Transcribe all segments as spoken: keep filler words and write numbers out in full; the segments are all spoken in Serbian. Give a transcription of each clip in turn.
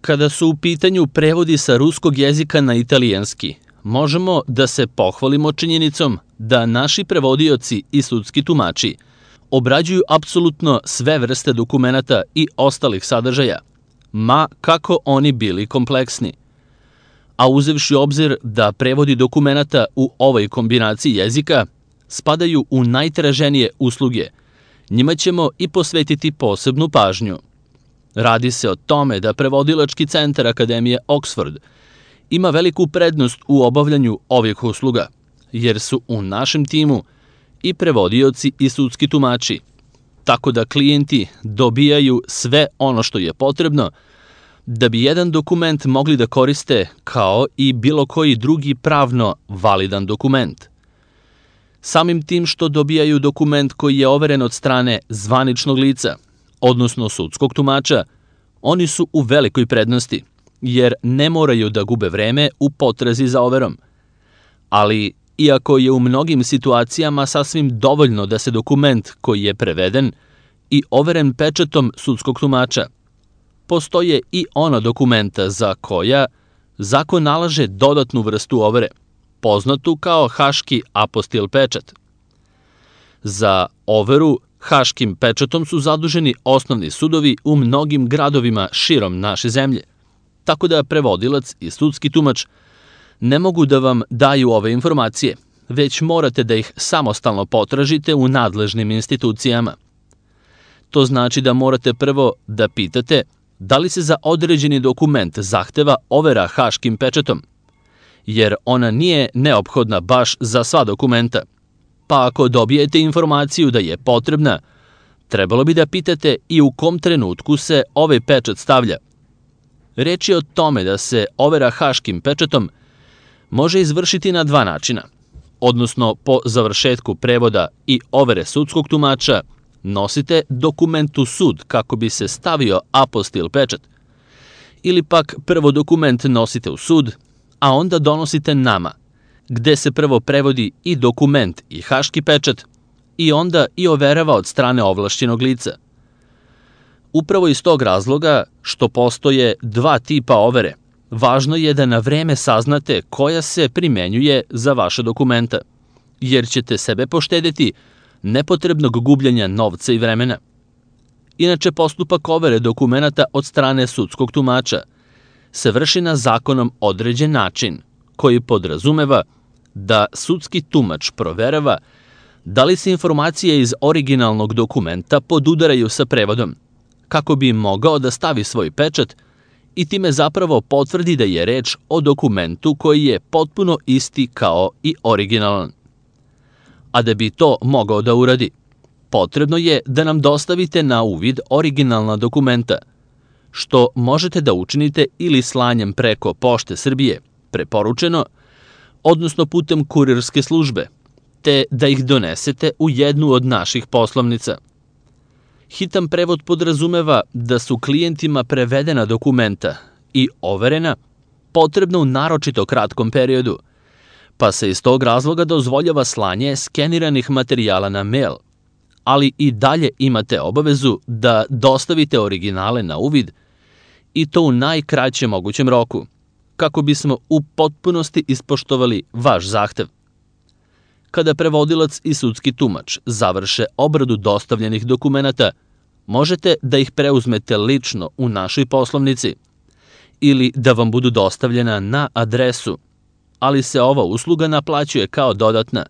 Kada su u pitanju prevodi sa ruskog jezika na italijanski, možemo da se pohvalimo činjenicom da naši prevodioci i sudski tumači obrađuju apsolutno sve vrste dokumenata i ostalih sadržaja, ma kako oni bili kompleksni. A uzevši u obzir da prevodi dokumenata u ovoj kombinaciji jezika spadaju u najtraženije usluge, njima ćemo i posvetiti posebnu pažnju. Radi se o tome da Prevodilački centar Akademije Oxford ima veliku prednost u obavljanju ovih usluga, jer su u našem timu i prevodioci i sudski tumači, tako da klijenti dobijaju sve ono što je potrebno da bi jedan dokument mogli da koriste kao i bilo koji drugi pravno validan dokument. Samim tim što dobijaju dokument koji je overen od strane zvaničnog lica, odnosno sudskog tumača, oni su u velikoj prednosti, jer ne moraju da gube vreme u potrazi za overom. Ali, iako je u mnogim situacijama sasvim dovoljno da se dokument koji je preveden i overen pečatom sudskog tumača, postoje i ona dokumenta za koja zakon nalaže dodatnu vrstu overe, poznatu kao haški apostil pečat. Za overu haškim pečatom su zaduženi osnovni sudovi u mnogim gradovima širom naše zemlje, tako da prevodilac i sudski tumač ne mogu da vam daju ove informacije, već morate da ih samostalno potražite u nadležnim institucijama. To znači da morate prvo da pitate da li se za određeni dokument zahteva overa haškim pečatom, jer ona nije neophodna baš za sva dokumenta. Pa ako dobijete informaciju da je potrebna, trebalo bi da pitate i u kom trenutku se ovaj pečat stavlja. Reč je o tome da se overa haškim pečatom može izvršiti na dva načina, odnosno po završetku prevoda i overe sudskog tumača nosite dokument u sud kako bi se stavio apostil pečat, ili pak prvo dokument nosite u sud, a onda donosite nama, gde se prvo prevodi i dokument i haški pečat i onda i overava od strane ovlašćenog lica. Upravo iz tog razloga što postoje dva tipa overe, važno je da na vreme saznate koja se primenjuje za vaše dokumenta, jer ćete sebe poštedeti nepotrebnog gubljenja novca i vremena. Inače, postupak overe dokumenata od strane sudskog tumača se vrši na zakonom određen način, koji podrazumeva da sudski tumač proverava da li se informacije iz originalnog dokumenta podudaraju sa prevodom, kako bi mogao da stavi svoj pečat i time zapravo potvrdi da je reč o dokumentu koji je potpuno isti kao i originalan. A da bi to mogao da uradi, potrebno je da nam dostavite na uvid originalna dokumenta, što možete da učinite ili slanjem preko Pošte Srbije, preporučeno, odnosno putem kurirske službe, te da ih donesete u jednu od naših poslovnica. Hitan prevod podrazumeva da su klijentima prevedena dokumenta i overena potrebna u naročito kratkom periodu, pa se iz tog razloga dozvoljava slanje skeniranih materijala na mail, ali i dalje imate obavezu da dostavite originale na uvid i to u najkraćem mogućem roku, kako bismo u potpunosti ispoštovali vaš zahtev. Kada prevodilac i sudski tumač završe obradu dostavljenih dokumenata, možete da ih preuzmete lično u našoj poslovnici ili da vam budu dostavljena na adresu, ali se ova usluga naplaćuje kao dodatna,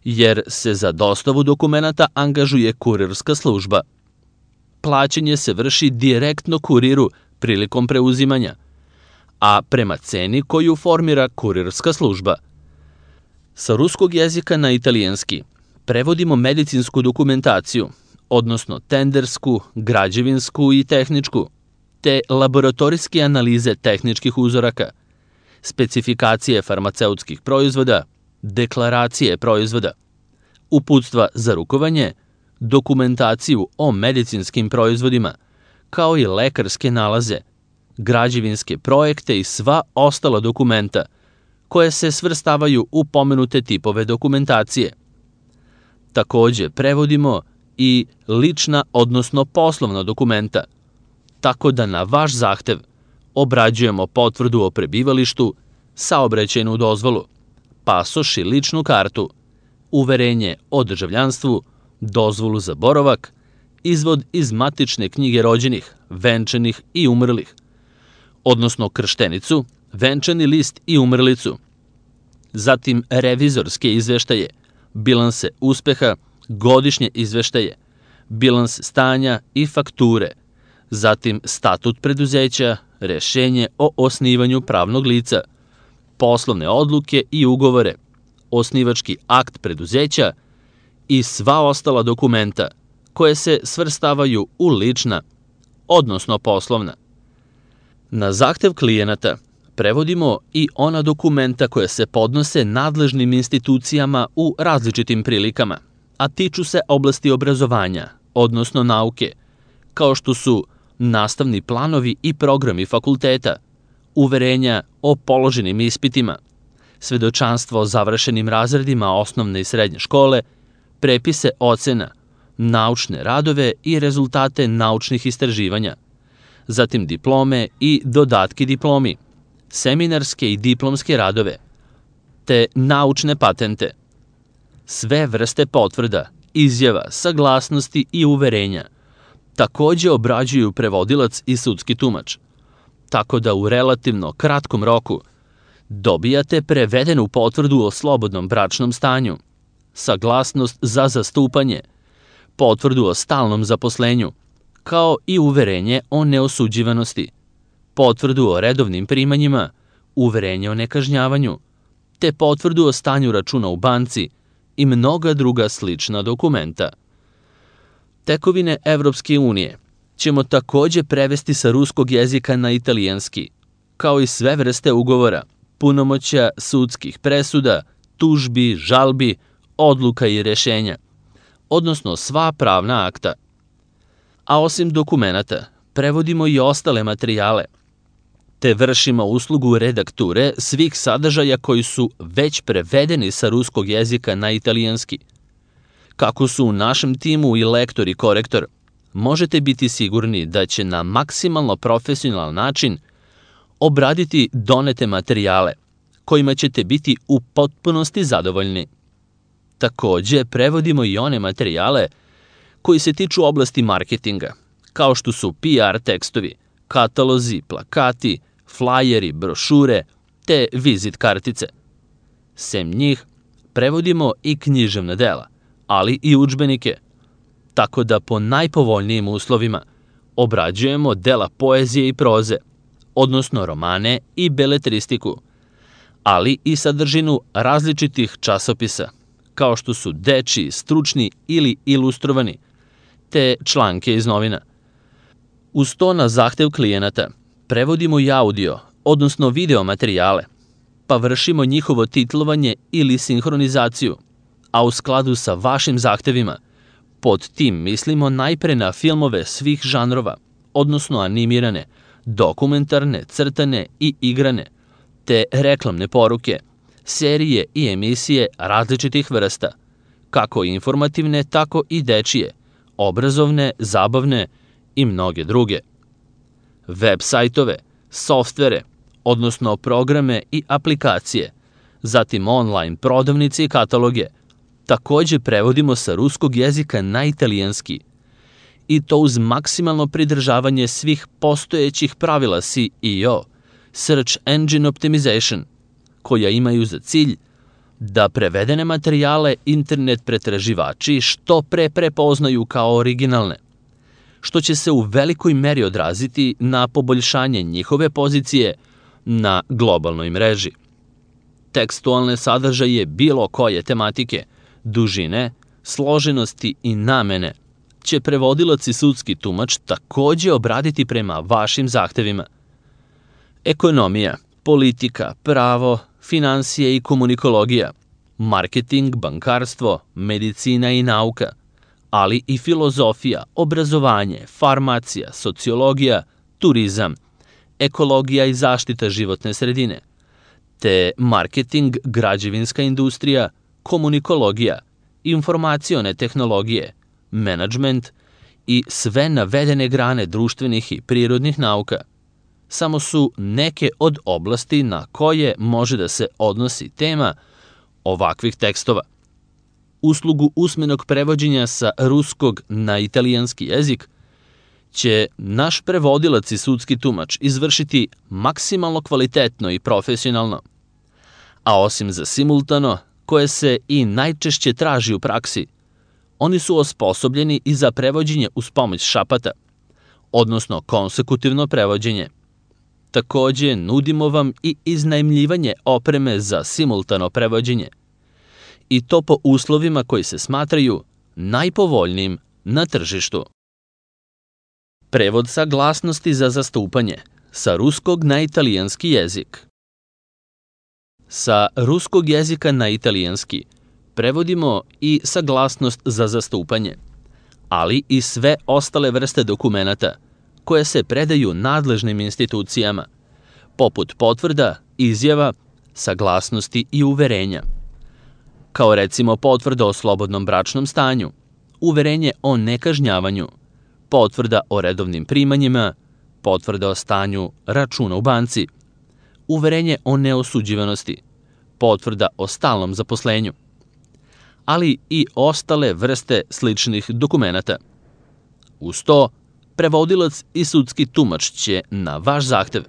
jer se za dostavu dokumenata angažuje kurirska služba. Plaćanje se vrši direktno kuriru prilikom preuzimanja, a prema ceni koju formira kurirska služba. Sa ruskog jezika na italijanski prevodimo medicinsku dokumentaciju, odnosno tendersku, građevinsku i tehničku, te laboratorijske analize tehničkih uzoraka, specifikacije farmaceutskih proizvoda, deklaracije proizvoda, uputstva za rukovanje, dokumentaciju o medicinskim proizvodima, kao i lekarske nalaze, građevinske projekte i sva ostala dokumenta koje se svrstavaju u pomenute tipove dokumentacije. Takođe, prevodimo i lična, odnosno poslovna dokumenta, tako da na vaš zahtev Obrađujemo potvrdu o prebivalištu, saobraćajnu dozvolu, pasoš i ličnu kartu, uverenje o državljanstvu, dozvolu za boravak, izvod iz matične knjige rođenih, venčanih i umrlih, odnosno krštenicu, venčani list i umrlicu, zatim revizorske izveštaje, bilanse uspeha, godišnje izveštaje, bilans stanja i fakture, zatim statut preduzeća, rešenje o osnivanju pravnog lica, poslovne odluke i ugovore, osnivački akt preduzeća i sva ostala dokumenta koje se svrstavaju u lična, odnosno poslovna. Na zahtev klijenata prevodimo i ona dokumenta koja se podnose nadležnim institucijama u različitim prilikama, a tiču se oblasti obrazovanja, odnosno nauke, kao što su nastavni planovi i programi fakulteta, uverenja o položenim ispitima, svedočanstvo o završenim razredima osnovne i srednje škole, prepise ocena, naučne radove i rezultate naučnih istraživanja, zatim diplome i dodatki diplomi, seminarske i diplomske radove, te naučne patente. Sve vrste potvrda, izjava, saglasnosti i uverenja takođe obrađuju prevodilac i sudski tumač, tako da u relativno kratkom roku dobijate prevedenu potvrdu o slobodnom bračnom stanju, saglasnost za zastupanje, potvrdu o stalnom zaposlenju, kao i uverenje o neosuđivanosti, potvrdu o redovnim primanjima, uverenje o nekažnjavanju, te potvrdu o stanju računa u banci i mnoga druga slična dokumenta. Tekovine Evropske unije ćemo takođe prevesti sa ruskog jezika na italijanski, kao i sve vrste ugovora, punomoćja, sudskih presuda, tužbi, žalbi, odluka i rešenja, odnosno sva pravna akta. A osim dokumenata, prevodimo i ostale materijale, te vršimo uslugu redakture svih sadržaja koji su već prevedeni sa ruskog jezika na italijanski. Kako su u našem timu i lektor i korektor, možete biti sigurni da će na maksimalno profesionalan način obraditi donete materijale, kojima ćete biti u potpunosti zadovoljni. Takođe, prevodimo i one materijale koji se tiču oblasti marketinga, kao što su P R tekstovi, katalozi, plakati, flajeri, brošure, te vizit kartice. Sem njih, prevodimo i književna dela, ali i udžbenike, tako da po najpovoljnijim uslovima obrađujemo dela poezije i proze, odnosno romane i beletristiku, ali i sadržinu različitih časopisa, kao što su dečiji, stručni ili ilustrovani, te članke iz novina. Uz to na zahtev klijenata prevodimo i audio, odnosno video materijale, pa vršimo njihovo titlovanje ili sinhronizaciju, a u skladu sa vašim zahtevima. Pod tim mislimo najpre na filmove svih žanrova, odnosno animirane, dokumentarne, crtane i igrane, te reklamne poruke, serije i emisije različitih vrsta, kako informativne, tako i dečije, obrazovne, zabavne i mnoge druge. Web sajtove, softvere, odnosno programe i aplikacije, zatim online prodavnice i kataloge, takođe prevodimo sa ruskog jezika na italijanski, i to uz maksimalno pridržavanje svih postojećih pravila S E O, Search Engine Optimization, koja imaju za cilj da prevedene materijale internet pretraživači što pre prepoznaju kao originalne, što će se u velikoj meri odraziti na poboljšanje njihove pozicije na globalnoj mreži. Tekstualne sadržaje bilo koje tematike, dužine, složenosti i namene će prevodilac i sudski tumač takođe obraditi prema vašim zahtevima. Ekonomija, politika, pravo, finansije i komunikologija, marketing, bankarstvo, medicina i nauka, ali i filozofija, obrazovanje, farmacija, sociologija, turizam, ekologija i zaštita životne sredine, te marketing, građevinska industrija, komunikologija, informacione tehnologije, menadžment i sve navedene grane društvenih i prirodnih nauka. samo su neke od oblasti na koje može da se odnosi tema ovakvih tekstova. Uslugu usmenog prevođenja sa ruskog na italijanski jezik će naš prevodilac i sudski tumač izvršiti maksimalno kvalitetno i profesionalno. A osim za simultano, koje se i najčešće traži u praksi, oni su osposobljeni i za prevođenje uz pomoć šapata, odnosno konsekutivno prevođenje. Takođe, nudimo vam i iznajmljivanje opreme za simultano prevođenje, i to po uslovima koji se smatraju najpovoljnijim na tržištu. Prevod saglasnosti za zastupanje sa ruskog na italijanski jezik. Sa ruskog jezika na italijanski prevodimo i saglasnost za zastupanje, ali i sve ostale vrste dokumenata koje se predaju nadležnim institucijama, poput potvrda, izjava, saglasnosti i uverenja, kao recimo potvrda o slobodnom bračnom stanju, uverenje o nekažnjavanju, potvrda o redovnim primanjima, potvrda o stanju računa u banci, uverenje o neosuđivanosti, potvrda o stalnom zaposlenju, ali i ostale vrste sličnih dokumenata. Uz to, prevodilac i sudski tumač će, na vaš zahtev,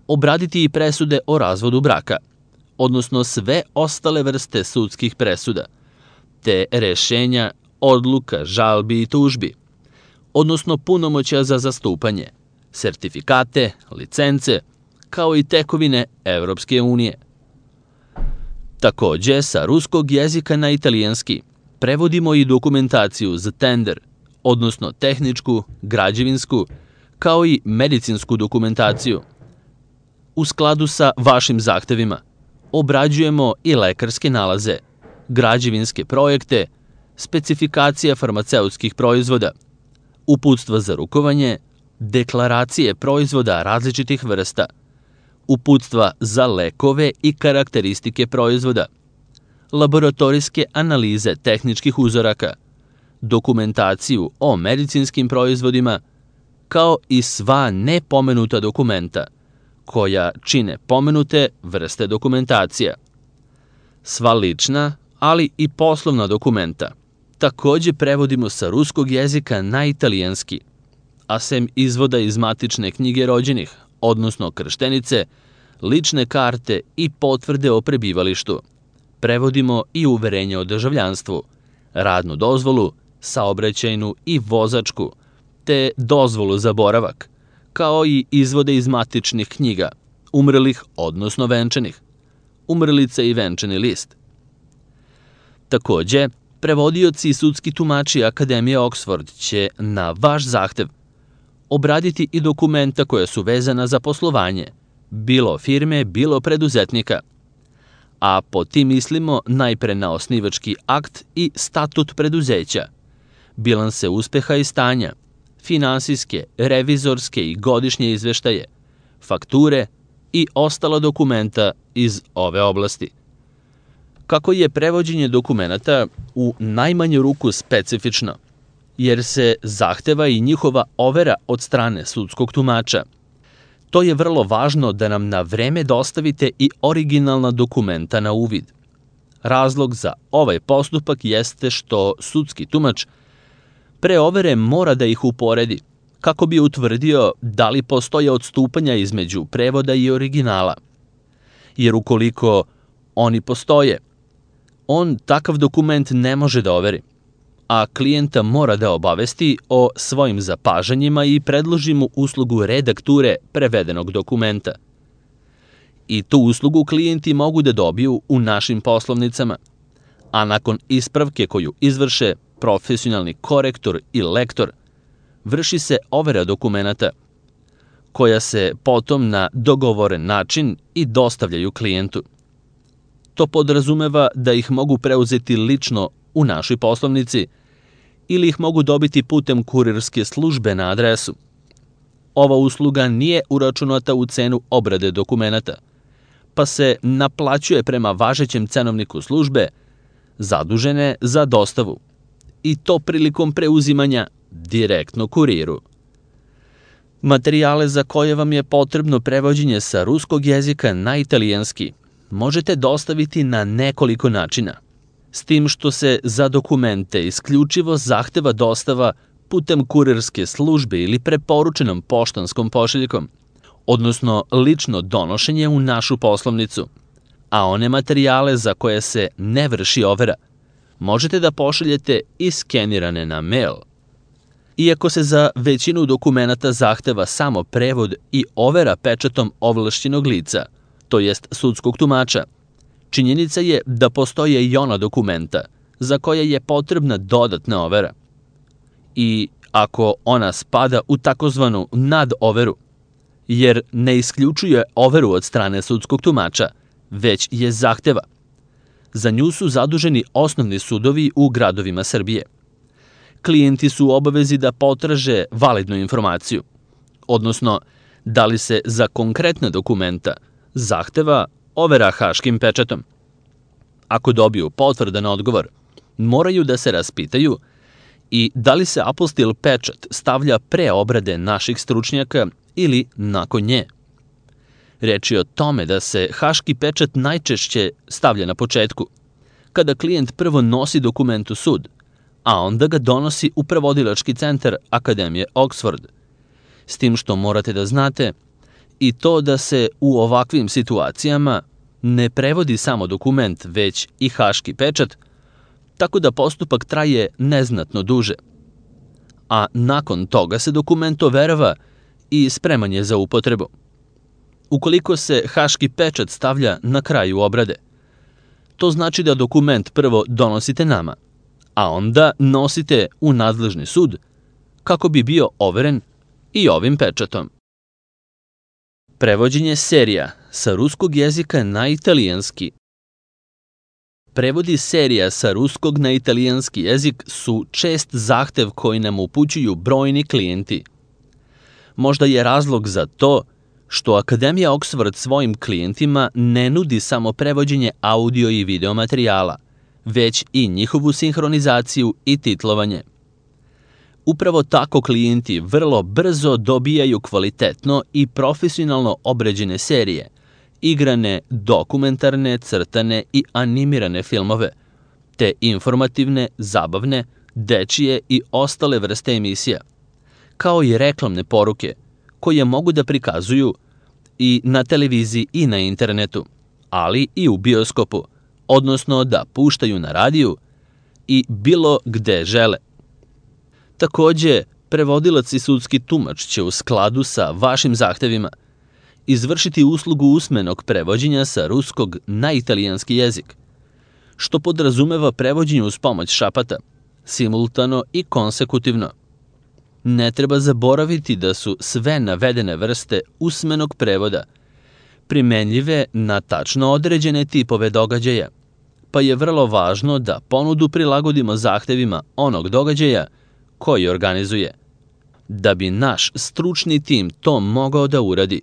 obraditi i presude o razvodu braka, odnosno sve ostale vrste sudskih presuda, te rešenja, odluka, žalbi i tužbi, odnosno punomoćja za zastupanje, sertifikate, licence, kao i tekovine Evropske unije. Takođe, sa ruskog jezika na italijanski prevodimo i dokumentaciju za tender, odnosno tehničku, građevinsku, kao i medicinsku dokumentaciju. U skladu sa vašim zahtevima obrađujemo i lekarske nalaze, građevinske projekte, specifikacija farmaceutskih proizvoda, uputstva za rukovanje, deklaracije proizvoda različitih vrsta, uputstva za lekove i karakteristike proizvoda, laboratorijske analize tehničkih uzoraka, dokumentaciju o medicinskim proizvodima, kao i sva nepomenuta dokumenta, koja čine pomenute vrste dokumentacija. Sva lična, ali i poslovna dokumenta takođe prevodimo sa ruskog jezika na italijanski, a sem izvoda iz matične knjige rođenih, odnosno krštenice, lične karte i potvrde o prebivalištu, prevodimo i uverenje o državljanstvu, radnu dozvolu, saobraćajnu i vozačku, te dozvolu za boravak, kao i izvode iz matičnih knjiga, umrlih, odnosno venčanih, umrlice i venčani list. Takođe, prevodioci i sudski tumači Akademije Oxford će, na vaš zahtev, obraditi i dokumenta koja su vezana za poslovanje, bilo firme, bilo preduzetnika, a po tim mislimo najpre na osnivački akt i statut preduzeća, bilanse uspeha i stanja, finansijske, revizorske i godišnje izveštaje, fakture i ostala dokumenta iz ove oblasti. Kako je prevođenje dokumenata u najmanju ruku specifično, jer se zahteva i njihova overa od strane sudskog tumača, to je vrlo važno da nam na vreme dostavite i originalna dokumenta na uvid. Razlog za ovaj postupak jeste što sudski tumač pre overe mora da ih uporedi, kako bi utvrdio da li postoje odstupanja između prevoda i originala. Jer ukoliko oni postoje, on takav dokument ne može da overi, a klijenta mora da obavesti o svojim zapažanjima i predloži mu uslugu redakture prevedenog dokumenta. I tu uslugu klijenti mogu da dobiju u našim poslovnicama, a nakon ispravke koju izvrše profesionalni korektor i lektor, vrši se overa dokumenata, koja se potom na dogovoren način i dostavljaju klijentu. To podrazumeva da ih mogu preuzeti lično u našoj poslovnici ili ih mogu dobiti putem kurirske službe na adresu. Ova usluga nije uračunata u cenu obrade dokumenata, pa se naplaćuje prema važećem cenovniku službe zadužene za dostavu, i to prilikom preuzimanja direktno kuriru. Materijale za koje vam je potrebno prevođenje sa ruskog jezika na italijanski možete dostaviti na nekoliko načina, s tim što se za dokumente isključivo zahteva dostava putem kurirske službe ili preporučenom poštanskom pošiljkom, odnosno lično donošenje u našu poslovnicu, a one materijale za koje se ne vrši overa možete da pošaljete i skenirane na mail. Iako se za većinu dokumenata zahteva samo prevod i overa pečatom ovlašćenog lica, to jest sudskog tumača, činjenica je da postoje i ona dokumenta za koje je potrebna dodatna overa. I ako ona spada u takozvanu nadoveru, jer ne isključuje overu od strane sudskog tumača, već je zahteva. Za nju su zaduženi osnovni sudovi u gradovima Srbije. Klijenti su u obavezi da potraže validnu informaciju, odnosno da li se za konkretna dokumenta zahteva overa haškim pečatom. Ako dobiju potvrdan odgovor, moraju da se raspitaju i da li se apostil pečat stavlja pre obrade naših stručnjaka ili nakon nje. Reč je o tome da se haški pečat najčešće stavlja na početku, kada klijent prvo nosi dokument u sud, a onda ga donosi u prevodilački centar Akademije Oxford. S tim što morate da znate i to da se u ovakvim situacijama ne prevodi samo dokument, već i haški pečat, tako da postupak traje neznatno duže. A nakon toga se dokument overava i spreman je za upotrebu. Ukoliko se haški pečat stavlja na kraju obrade, to znači da dokument prvo donosite nama, a onda nosite u nadležni sud kako bi bio overen i ovim pečatom. Prevođenje serija sa ruskog jezika na italijanski. Prevodi serija sa ruskog na italijanski jezik su čest zahtev koji nam upućuju brojni klijenti. Možda je razlog za to što Akademija Oxford svojim klijentima ne nudi samo prevođenje audio i video materijala, već i njihovu sinhronizaciju i titlovanje. Upravo tako klijenti vrlo brzo dobijaju kvalitetno i profesionalno obrađene serije, igrane, dokumentarne, crtane i animirane filmove, te informativne, zabavne, dečije i ostale vrste emisija, kao i reklamne poruke, koje mogu da prikazuju i na televiziji i na internetu, ali i u bioskopu, odnosno da puštaju na radiju i bilo gde žele. Takođe, prevodilac i sudski tumač će u skladu sa vašim zahtevima izvršiti uslugu usmenog prevođenja sa ruskog na italijanski jezik, što podrazumeva prevođenje uz pomoć šapata, simultano i konsekutivno. Ne treba zaboraviti da su sve navedene vrste usmenog prevoda primenljive na tačno određene tipove događaja, pa je vrlo važno da ponudu prilagodimo zahtevima onog događaja koji organizuje. Da bi naš stručni tim to mogao da uradi,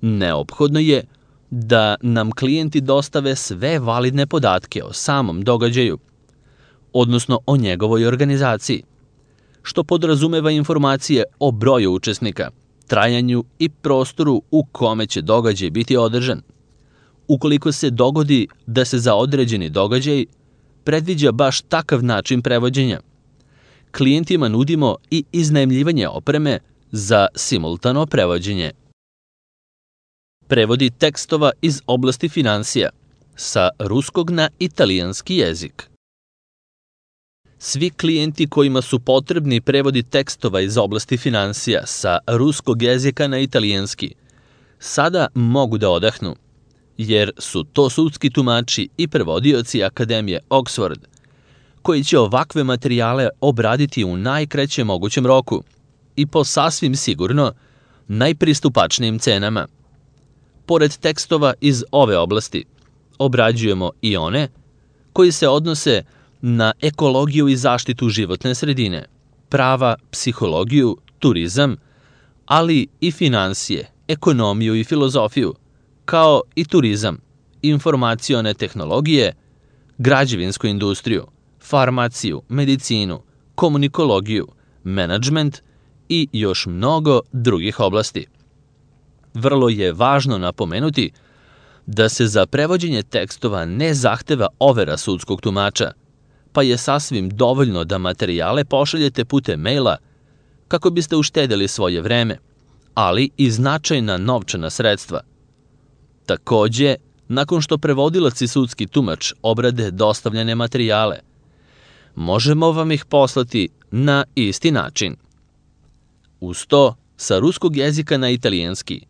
neophodno je da nam klijenti dostave sve validne podatke o samom događaju, odnosno o njegovoj organizaciji, što podrazumeva informacije o broju učesnika, trajanju i prostoru u kome će događaj biti održan. Ukoliko se dogodi da se za određeni događaj predviđa baš takav način prevođenja, klijentima nudimo i iznajmljivanje opreme za simultano prevođenje. Prevodi tekstova iz oblasti finansija sa ruskog na italijanski jezik. Svi klijenti kojima su potrebni prevodi tekstova iz oblasti finansija sa ruskog jezika na italijanski sada mogu da odahnu, jer su to sudski tumači i prevodioci Akademije Oxford, koji će ovakve materijale obraditi u najkraćem mogućem roku i po sasvim sigurno najpristupačnijim cenama. Pored tekstova iz ove oblasti, obrađujemo i one koji se odnose na ekologiju i zaštitu životne sredine, prava, psihologiju, turizam, ali i finansije, ekonomiju i filozofiju, kao i turizam, informacione tehnologije, građevinsku industriju, farmaciju, medicinu, komunikologiju, menadžment i još mnogo drugih oblasti. Vrlo je važno napomenuti da se za prevođenje tekstova ne zahteva overa sudskog tumača, pa je sasvim dovoljno da materijale pošaljete putem maila kako biste uštedeli svoje vreme, ali i značajna novčana sredstva. Takođe, nakon što prevodilac i sudski tumač obrade dostavljene materijale, možemo vam ih poslati na isti način. Uz to, sa ruskog jezika na italijanski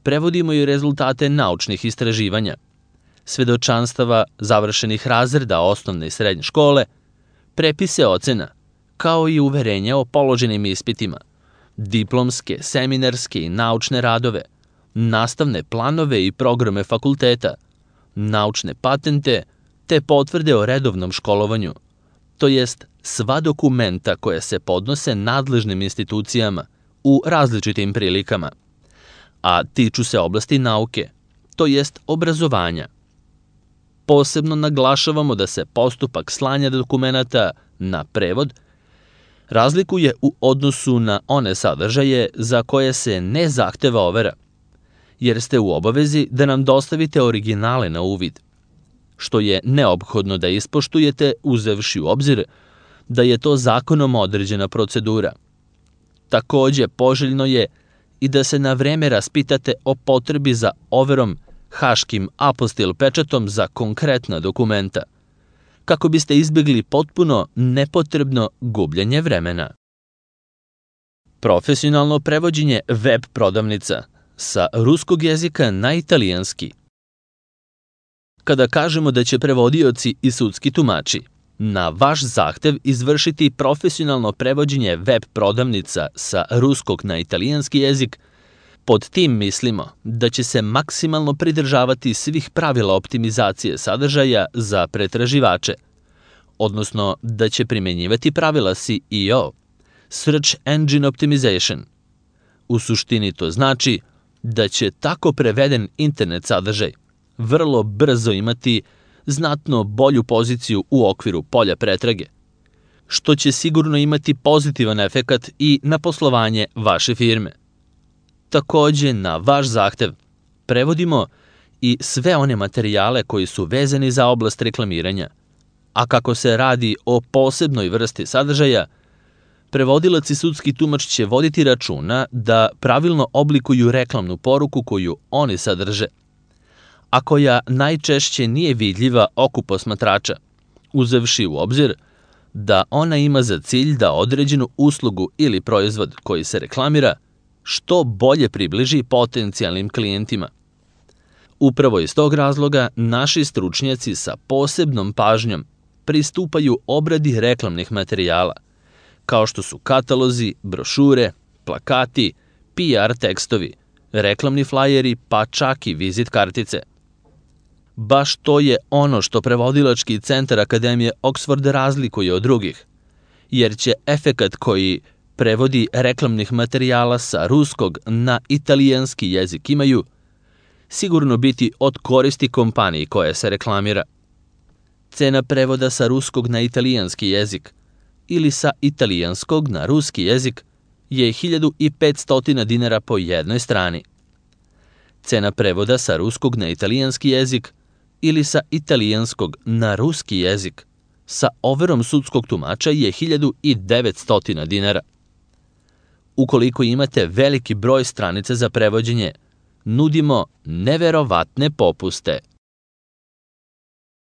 prevodimo i rezultate naučnih istraživanja, svedočanstava završenih razreda osnovne i srednje škole, prepise ocena, kao i uverenja o položenim ispitima, diplomske, seminarske i naučne radove, nastavne planove i programe fakulteta, naučne patente, te potvrde o redovnom školovanju, to jest sva dokumenta koja se podnose nadležnim institucijama u različitim prilikama, a tiču se oblasti nauke, to jest obrazovanja. Posebno naglašavamo da se postupak slanja dokumenata na prevod razlikuje u odnosu na one sadržaje za koje se ne zahteva overa, jer ste u obavezi da nam dostavite originale na uvid, što je neophodno da ispoštujete uzevši u obzir da je to zakonom određena procedura. Takođe, poželjno je i da se na vreme raspitate o potrebi za overom haškim apostil pečatom za konkretna dokumenta, kako biste izbjegli potpuno nepotrebno gubljenje vremena. Profesionalno prevođenje web prodavnica sa ruskog jezika na italijanski. Kada kažemo da će prevodioci i sudski tumači na vaš zahtev izvršiti profesionalno prevođenje web prodavnica sa ruskog na italijanski jezik, pod tim mislimo da će se maksimalno pridržavati svih pravila optimizacije sadržaja za pretraživače, odnosno da će primenjivati pravila S E O, Search Engine Optimization. U suštini to znači da će tako preveden internet sadržaj vrlo brzo imati znatno bolju poziciju u okviru polja pretrage, što će sigurno imati pozitivan efekat i na poslovanje vaše firme. Takođe, na vaš zahtev prevodimo i sve one materijale koji su vezani za oblast reklamiranja, a kako se radi o posebnoj vrsti sadržaja, prevodilac i sudski tumač će voditi računa da pravilno oblikuju reklamnu poruku koju oni sadrže, a koja najčešće nije vidljiva oku posmatrača, uzevši u obzir da ona ima za cilj da određenu uslugu ili proizvod koji se reklamira što bolje približi potencijalnim klijentima. Upravo iz tog razloga naši stručnjaci sa posebnom pažnjom pristupaju obradi reklamnih materijala, kao što su katalozi, brošure, plakati, P R tekstovi, reklamni flajeri, pa čak i vizit kartice. Baš to je ono što prevodilački centar Akademije Oxford razlikuje od drugih, jer će efekat koji prevodi reklamnih materijala sa ruskog na italijanski jezik imaju sigurno biti od koristi kompaniji koja se reklamira. Cena prevoda sa ruskog na italijanski jezik ili sa italijanskog na ruski jezik je hiljadu petsto dinara po jednoj strani. Cena prevoda sa ruskog na italijanski jezik ili sa italijanskog na ruski jezik sa overom sudskog tumača je hiljadu devetsto dinara. Ukoliko imate veliki broj stranica za prevođenje, nudimo neverovatne popuste.